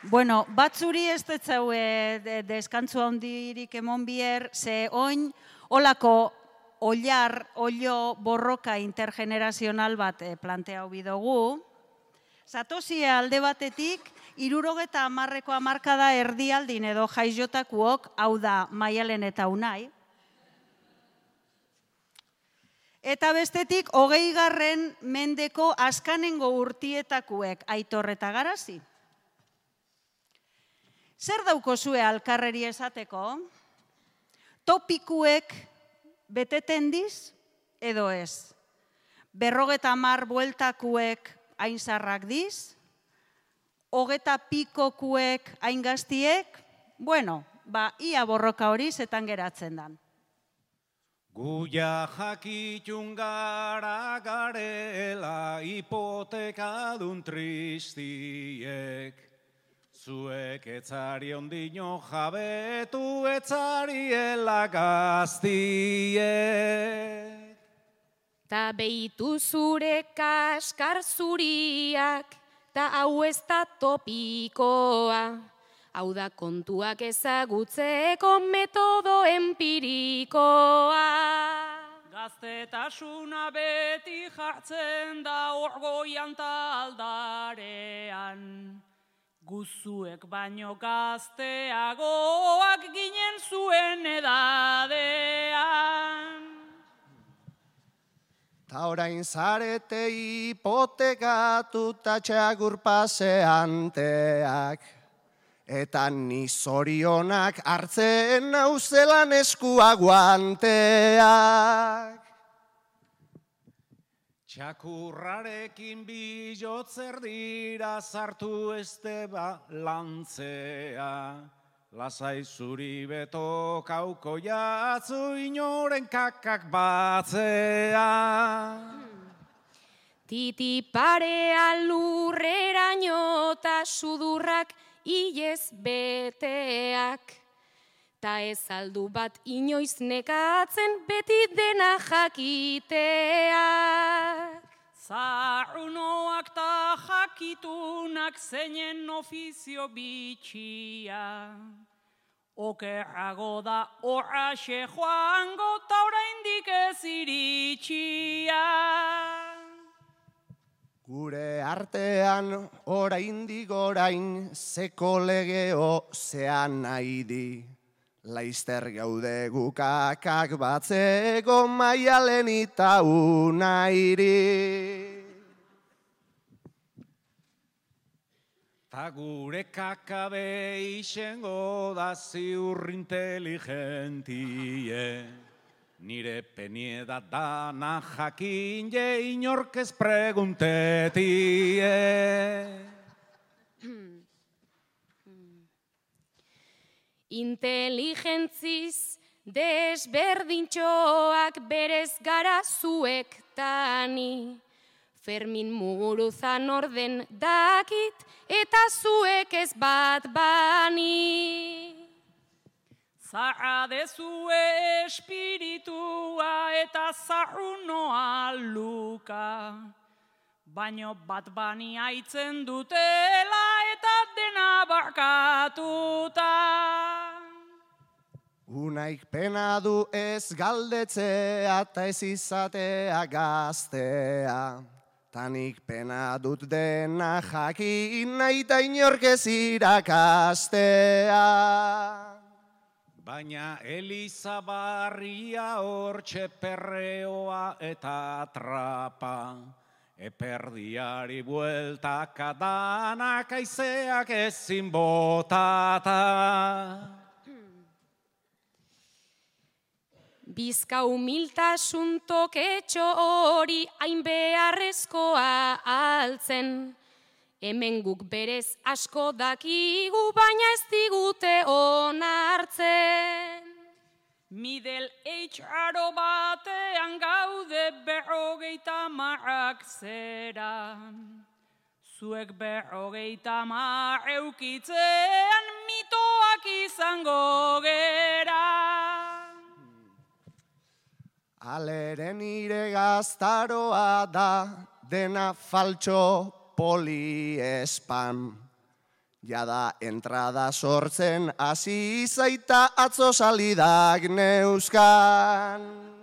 Bueno, batzuri ez detzau deskantzu handirik emon bier, ze oin olako olio borroka intergenerazional bat planteau bidogu. Zatozie alde batetik, 70ko hamarkada erdialdin edo jaizjotakuok, hau da Maialen eta Unai. Eta bestetik, 20. mendeko azkanengo urtietakuek, Aitor eta Garazi. Zer daukozue alkarreri esateko? Topikuek beteten diz edo ez? 50 bueltakuek hain zarrak diz? 20 pikokuek hain gaztiek? Bueno, ia borroka hori zetan geratzen dan. Guia jakitun gara garela hipotekadun tristiek. Zuek etzari ondino jabetu etzariela gaztiek. Ta behitu zure kaskar zuriak, ta hau ez da topikoa. Hau da kontuak ezagutzeko metodo empirikoa. Gaztetasuna beti jartzen da orgoian ta aldarean. Guzuek baino gazteagoak ginen zuen edadean. Ta orain zarete hipotekatu ta txagur paseanteak. Eta ni zorionak hartzen nauzelan eskua guanteak. Txakurrarekin bilotzer dira sartu este lantzea. Lasai zuri beto kauko jatzu inoren kakak batzea. Titi parea lurreraino ta sudurrak ilez beteak. Ta ez aldu bat inoiz nekatzen beti dena jakiteak. Zarrunoak ta jakitunak zeinen ofizio bitxia. Okerrago da horraxe joango ta oraindik ez iritxia. Gure artean oraindik orain zeko legeo zean nahi di. Laizter gaude gukakak batzeko Maialen eta Unairi. Ta gure kakabe isengo da ziur inteligentie. Nire penieda dana jakin je inorkez preguntetie. Inteligentziz desberdintxoak berez gara zuek tani. Fermin Muguruzan orden dakit eta zuek ez bat bani. Zarra dezue espiritua eta zarrunoa luka. Baino bat bani aitzen dutela eta dena barkatuta. Unaik pena du ez galdetzea eta ez izatea gaztea. Tanik pena dut dena jakin nahi eta inork ez irakastea. Baina Eliza barria hortxe perreoa eta trapa. Eperdiari bueltaka danak aizeak ezin botata. Bizka humiltasun toketxo hori hain beharrezkoa altzen. Hemen guk berez asko dakigu baina ez digute onartzen. Middle age aro batean gaude 50 zera. Zuek 50 eukitzean mitoak izango gera. Alere nire gaztaroa da dena faltxo poliespam. Jada entrada sortzen hasi zaita atzo salidak neuzkan.